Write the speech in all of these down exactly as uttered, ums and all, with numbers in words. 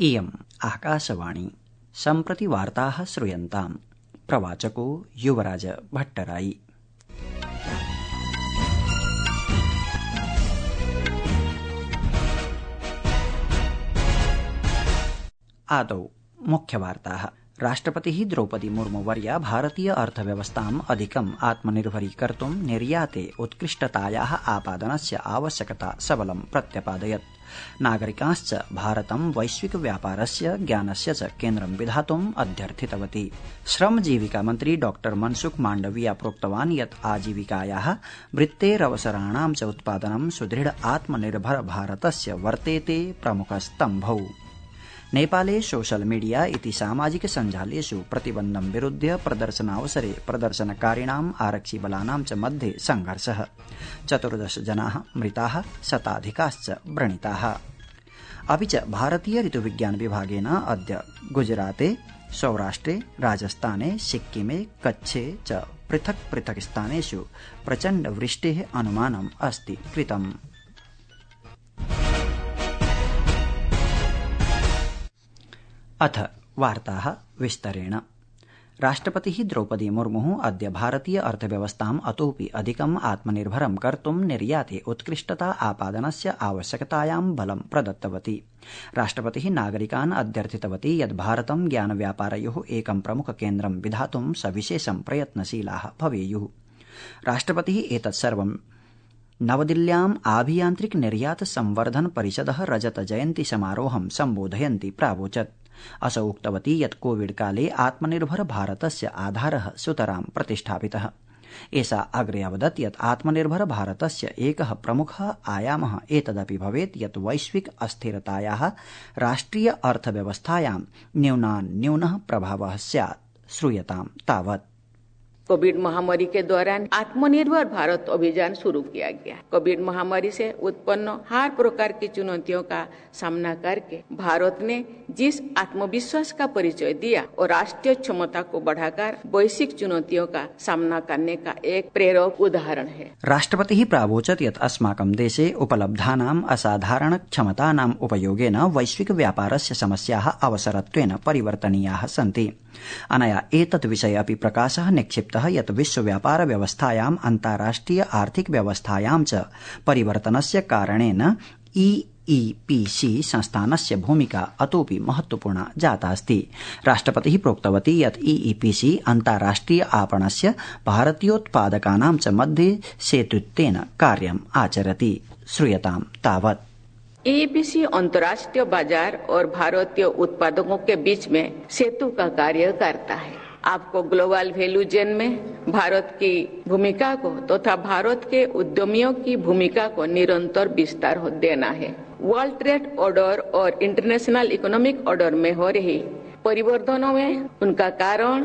इयम् आकाशवाणी। सम्प्रति वार्ताः श्रूयन्ताम्। प्रवाचको युवराज भट्टराई। आदौ मुख्यवार्ताः। राष्ट्रपतिः द्रौपदी मुर्मुवर्या भारतीय अर्थव्यवस्थाम् अधिकम् आत्मनिर्भरीकर्तुं निर्याते उत्कृष्टतायाः आपादनस्य आवश्यकता सबलं प्रत्यपादयत्। नागरिकाश्च भारतं वैश्विक व्यापारस्य ज्ञानस्य च केन्द्रं विधातुम् अध्यर्थितवती। श्रमजीविका मन्त्री डॉ मनसुख माण्डविया प्रोक्तवान् यत् आजीविकायाः वृत्तेरवसराणां च उत्पादनं सुदृढ आत्मनिर्भर भारतस्य वर्तेते प्रमुखस्तम्भौ। नेपाले सोशल मीडिया इति सामाजिक सञ्जालेषु प्रतिबन्धं विरुध्य प्रदर्शनावसरे प्रदर्शनकारिणाम् आरक्षिबलानां च मध्ये संघर्षः। चतुर्दश जनाः मृताः, शताधिकाश्च व्रणिताः। अपि च भारतीय ऋतुविज्ञान विभागेन अद्य गुजराते, सौराष्ट्रे, राजस्थाने, सिक्किमे, कच्छे च पृथक् पृथक् स्थानेषु प्रचण्ड वृष्टेः अनुमानम् अस्ति कृतम्। अथ वार्ताः विस्तरेण। राष्ट्रपतिः द्रौपदी मुर्मुः अद्य भारतीय अर्थव्यवस्थाम् अतोऽपि अधिकम् आत्मनिर्भरं कर्तुं निर्याते उत्कृष्टता आपादनस्य आवश्यकतायां बलं प्रदत्तवती। राष्ट्रपतिः नागरिकान् अध्यर्थितवती यत् भारतं ज्ञानव्यापारयोः एकं प्रमुखकेन्द्रं विधातुं सविशेषं प्रयत्नशीलाः भवेयुः। राष्ट्रपतिः एतत् सर्वं नवदिल्ल्याम् आभियान्त्रिक निर्यात संवर्धन परिषदः रजत जयन्ति समारोहं सम्बोधयन्ती प्रावोचत्। असौ उक्तवती यत् कोविड काले आत्मनिर्भर भारतस्य आधारः सुतरां प्रतिष्ठापितः। एषा अग्रे अवदत् यत् आत्मनिर्भर भारतस्य एकः प्रमुखः आयामः एतदपि भवेत् यत् वैश्विक अस्थिरतायाः राष्ट्रिय अर्थव्यवस्थायां न्यूनान्न्यूनः प्रभावः स्यात्। श्रूयतां तावत्। कोविड महामारी के दौरान आत्मनिर्भर भारत अभियान शुरू किया गया। कोविड महामारी से उत्पन्न हर प्रकार की चुनौतियों का सामना करके भारत ने जिस आत्मविश्वास का परिचय दिया और राष्ट्रीय क्षमता को बढ़ाकर वैश्विक चुनौतियों का सामना करने का एक प्रेरक उदाहरण है। राष्ट्रपतिः प्रावोचत् यत् अस्माकं देशे उपलब्धानाम् असाधारण क्षमतानाम् उपयोगेन वैश्विक व्यापारस्य समस्याः अवसरत्वेन परिवर्तनीयाः सन्ति। अनया एतत् विषये अपि प्रकाशः निक्षिप्तः यत् विश्व व्यापार व्यवस्थायाम् अन्ताराष्ट्रिय आर्थिक व्यवस्थायां च परिवर्तनस्य कारणेन ई ई पी सी संस्थानस्य भूमिका अतोऽपि महत्वपूर्णा जातास्ति। राष्ट्रपतिः प्रोक्तवती यत् ई ई पी सी अन्ताराष्ट्रिय आपणस्य भारतीयोत्पादकानां च मध्ये सेतुत्वेन कार्यम् आचरति। श्रूयतां तावत्। ई ई पी सी अंतर्राष्ट्रीय बाजार और भारतीय उत्पादकों के बीच में सेतु का कार्य करता है। आपको ग्लोबल वैल्यू चेन में भारत की भूमिका को तथा तो भारत के उद्यमियों की भूमिका को निरंतर विस्तार देना है। वर्ल्ड ट्रेड ऑर्डर और इंटरनेशनल इकोनॉमिक ऑर्डर में हो रही परिवर्तनों में उनका कारण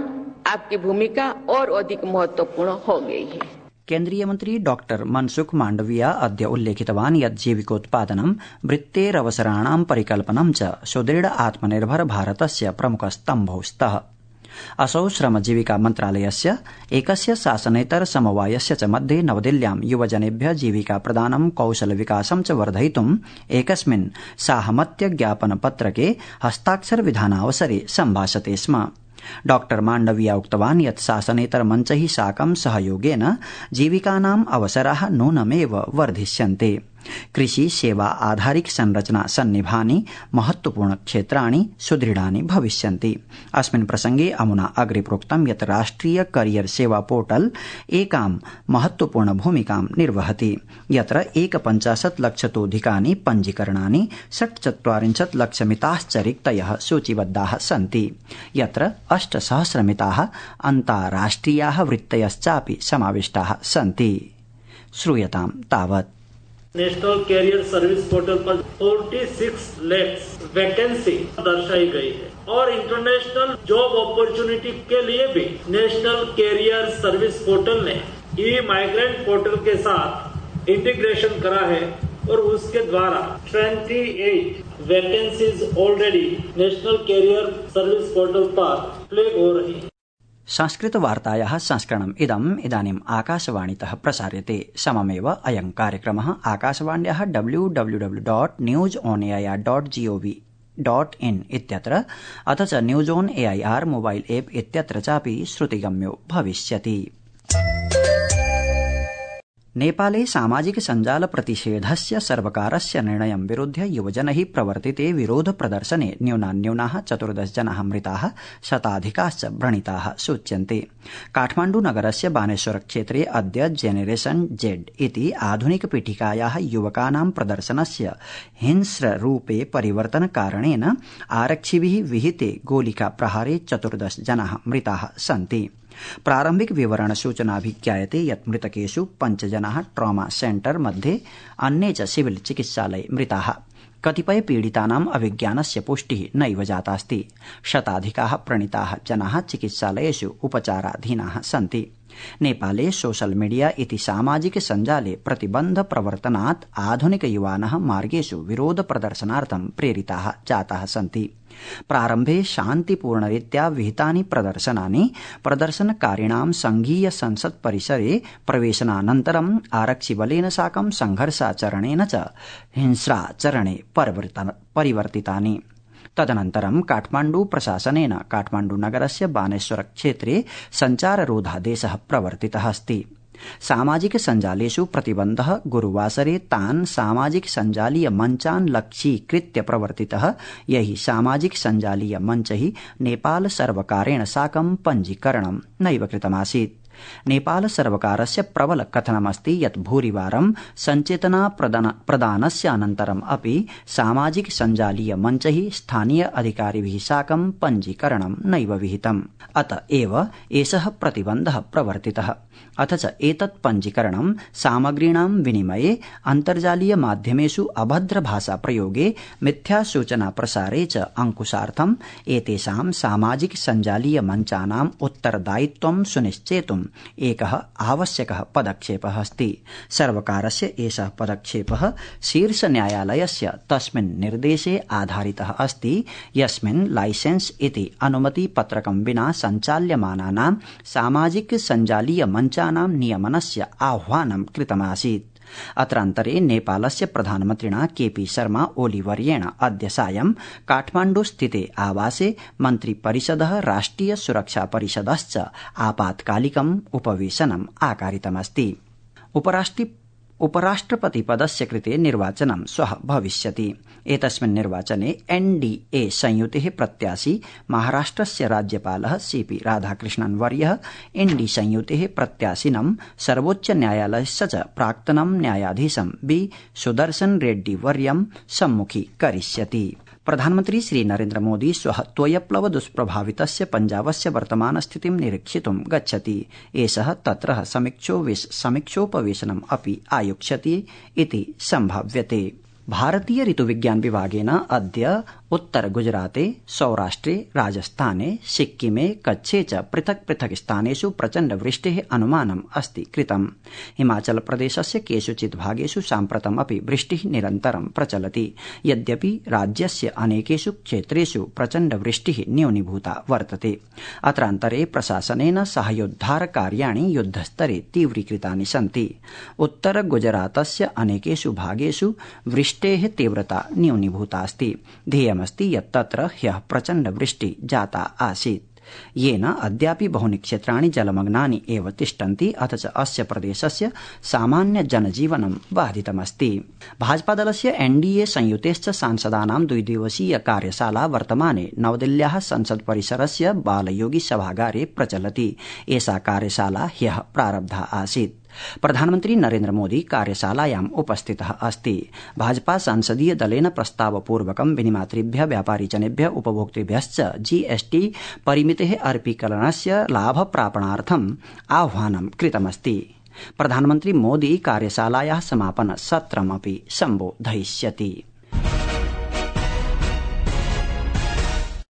आपकी भूमिका और अधिक महत्वपूर्ण हो गई है। केन्द्रीय मंत्री डॉ मनसुख माण्डविया अद्य उल्लेखितवान् यत् जीविकोत्पादनं वृत्तेरवसराणां परिकल्पनं च सुदृढ आत्मनिर्भर भारतस्य प्रमुखस्तम्भौ स्तः। असौ श्रमजीविका मन्त्रालयस्य एकस्य शासनेतर समवायस्य च मध्ये नवदिल्ल्यां युवजनेभ्यः जीविका प्रदानं कौशल विकासं च वर्धयितुम् एकस्मिन् साहमत्य ज्ञापन पत्रके हस्ताक्षर विधानावसरे सम्भाषते स्म। डॉ माण्डविया उक्तवान् यत् शासनेतर मञ्चैः साकं सहयोगेन जीविकानाम् अवसराः नूनमेव वर्धिष्यन्ते। कृषि सेवा आधारिक संरचना सन्निभानि महत्वपूर्ण क्षेत्राणि सुदृढानि भविष्यन्ति। अस्मिन् प्रसंगे अमुना अग्रे प्रोक्तं यत् राष्ट्रिय करियर सेवा पोर्टल एकां महत्वपूर्ण भूमिकां निर्वहति, यत्र एकपञ्चाशत् लक्षतोऽधिकानि पञ्जीकरणानि षट्चत्वारिंशत् लक्षमिताश्च रिक्तयः सूचीबद्धाः सन्ति, यत्र अष्टसहस्रमिताः अन्ताराष्ट्रियाः वृत्तयश्चापि समाविष्टाः सन्ति। श्रूयतां तावत्। नेशनल कैरियर सर्विस पोर्टल पर छियालीस लाख वैकेंसी दर्शाई गई है और इंटरनेशनल जॉब अपॉर्चुनिटी के लिए भी नेशनल कैरियर सर्विस पोर्टल ने ई माइग्रेंट पोर्टल के साथ इंटीग्रेशन करा है और उसके द्वारा अट्ठाईस vacancies already national career service portal पर फ्लैग हो रही है। संस्कृत वार्तायाः संस्करणम् इदम् इदानीम् आकाशवाणीतः प्रसार्यते। सममेव अयं कार्यक्रमः आकाशवाण्याः W W W dot news on AIR dot GOV dot IN इत्यत्र अथ च news on AIR mobile app इत्यत्र चापि श्रुतिगम्यो भविष्यति। नेपाले सामाजिक सञ्जाल प्रतिषेधस्य सर्वकारस्य निर्णयं विरुध्य युवजनैः प्रवर्तिते विरोध प्रदर्शने न्यूनान्यूनाः चतुर्दश जनाः मृताः, शताधिकाश्च व्रणिताः सूच्यन्ते। काठमाण्डु नगरस्य बानेश्वर क्षेत्रे अद्य जेनेरेशन जेड इति आधुनिक पीठिकायाः युवकानां प्रदर्शनस्य हिंस्ररूपे परिवर्तनकारणेन आरक्षिभिः विहिते गोलिका प्रहारे चतुर्दश जनाः मृताः सन्ति। प्रारम्भिक विवरण सूचनाभिज्ञायते यत् मृतकेषु पञ्च जनाः ट्रॉमा सेंटर मध्ये, अन्ये च सिविल चिकित्सालये मृताः। कतिपय पीडितानाम् अभिज्ञानस्य पुष्टिः नैव जातास्ति। शताधिकाः व्रणिताः जनाः चिकित्सालयेषु उपचाराधीनाः सन्ति। नेपाले सोशल मीडिया इति सामाजिक सञ्जाले प्रतिबन्ध प्रवर्तनात् आधुनिक युवानः मार्गेषु विरोध प्रदर्शनार्थं प्रेरिताः जाताः सन्ति। प्रारम्भे शान्तिपूर्णरीत्या विहितानि प्रदर्शनानि प्रदर्शनकारिणां संघीय संसत् परिसरे प्रवेशनानन्तरम् आरक्षिबलेन साकं संघर्षाचरणेन च हिंस्राचरणे परिवर्तितानि। तदनन्तरं काठमाण्डु प्रशासनेन काठमाण्डु नगरस्य बानेश्वर क्षेत्रे सञ्चाररोधादेशः प्रवर्तितः अस्ति। सामाजिक सञ्जालेषु प्रतिबन्धः गुरुवासरे तान् सामाजिक सञ्जालीय मञ्चान् लक्ष्यीकृत्य प्रवर्तितः, यैः सामाजिक सञ्जालीय मञ्चैः नेपाल सर्वकारेण साकं पञ्जीकरणं नैव कृतमासीत्। नेपाल सर्वकारस्य प्रबल कथनमस्ति यत् भूरिवारं सञ्चेतना प्रदानस्य अनन्तरम् अपि सामाजिक सञ्जालीय मञ्चैः स्थानीय अधिकारिभिः साकं पञ्जीकरणं नैव विहितम्। अत एव एषः प्रतिबन्धः प्रवर्तितः। अथ च एतत् पञ्जीकरणं सामग्रीणां विनिमये, अन्तर्जालीय माध्यमेषु अभद्र भाषा प्रयोगे, मिथ्यासूचना प्रसारे च अंकुशार्थम् एतेषां सामाजिक सञ्जालीय मञ्चानाम् उत्तरदायित्वं सुनिश्चेतुम् एकः आवश्यकः पदक्षेपः अस्ति। सर्वकारस्य एषः पदक्षेपः शीर्षन्यायालयस्य तस्मिन् निर्देशे आधारितः अस्ति यस्मिन् लाइसेंस इति अनुमतिपत्रकं विना सञ्चाल्यमानानां सामाजिक सञ्जालीय मञ्चानां नियमनस्य आह्वानं कृतमासीत्। अत्रान्तरे नेपालस्य प्रधानमन्त्रिणा केपी शर्मा ओली वर्येण अद्य सायं काठमाण्डु स्थिते आवासे मन्त्रिपरिषदः राष्ट्रिय सुरक्षा परिषदश्च आपातकालिकम् उपवेशनम् आकारितमस्ति। उपराष्ट्रि उपराष्ट्रपतिपदस्य कृते निर्वाचनं श्वः भविष्यति। एतस्मिन् निर्वाचने एनडीए संयुतेः प्रत्याशी महाराष्ट्रस्य राज्यपालः सीपी राधाकृष्णन् वर्यः एनडी संयुतेः प्रत्याशिनं सर्वोच्च न्यायालयस्य च प्राक्तनं न्यायाधीशं बी सुदर्शन रेड्डी वर्यं सम्मुखीकरिष्यति। प्रधानमन्त्री श्री नरेन्द्र मोदी श्वः त्वयप्लव दुष्प्रभावितस्य पञ्जाबस्य वर्तमान स्थितिं निरीक्षितुं गच्छति। एषः तत्रः समीक्षोपवेशनम् अपि आयोक्ष्यति इति सम्भाव्यते। भारतीय ऋतुविज्ञान विभागेन अद्य उत्तर गुजराते, सौराष्ट्रे, राजस्थाने, सिक्किमे, कच्छे च पृथक् पृथक् स्थानेषु प्रचण्ड वृष्टेः अनुमानम् अस्ति कृतम्। हिमाचल प्रदेशस्य केषुचित् भागेषु साम्प्रतम् अपि वृष्टिः निरन्तरं प्रचलति। यद्यपि राज्यस्य अनेकेषु क्षेत्रेषु प्रचण्ड वृष्टिः न्यूनीभूता वर्तते। अत्रान्तरे प्रशासनेन साहाय्योद्धार कार्याणि युद्धस्तरे तीव्रीकृतानि सन्ति। उत्तर गुजरातस्य अनेकेषु भागेषु वृष्टेः तीव्रता न्यूनीभूतास्ति। ध्येयमस्ति यत् तत्र ह्यः प्रचण्ड वृष्टि जाता आसीत्, येन अद्यापि बहूनि क्षेत्राणि जलमग्नानि एव तिष्ठन्ति। अथ च अस्य प्रदेशस्य सामान्य जनजीवनं बाधितमस्ति। भाजपादलस्य एनडीए संयुतेश्च सांसदानां द्विदिवसीय कार्यशाला वर्तमाने नवदिल्ल्याः संसद परिसरस्य बालयोगी सभागारे प्रचलति। एषा कार्यशाला ह्यः प्रारब्धा आसीत्। प्रधानमन्त्री नरेन्द्र मोदी कार्यशालायाम् उपस्थितः अस्ति। भाजपा संसदीय दलेन प्रस्तावपूर्वकं विनिमातृभ्यः, व्यापारिजनेभ्यः, उपभोक्तृभ्यश्च जीएसटी परिमितेः अर्पीकरणस्य लाभप्रापणार्थम् आह्वानं कृतमस्ति। प्रधानमन्त्री मोदी कार्यशालायाः समापन सत्रमपि सम्बोधयिष्यति।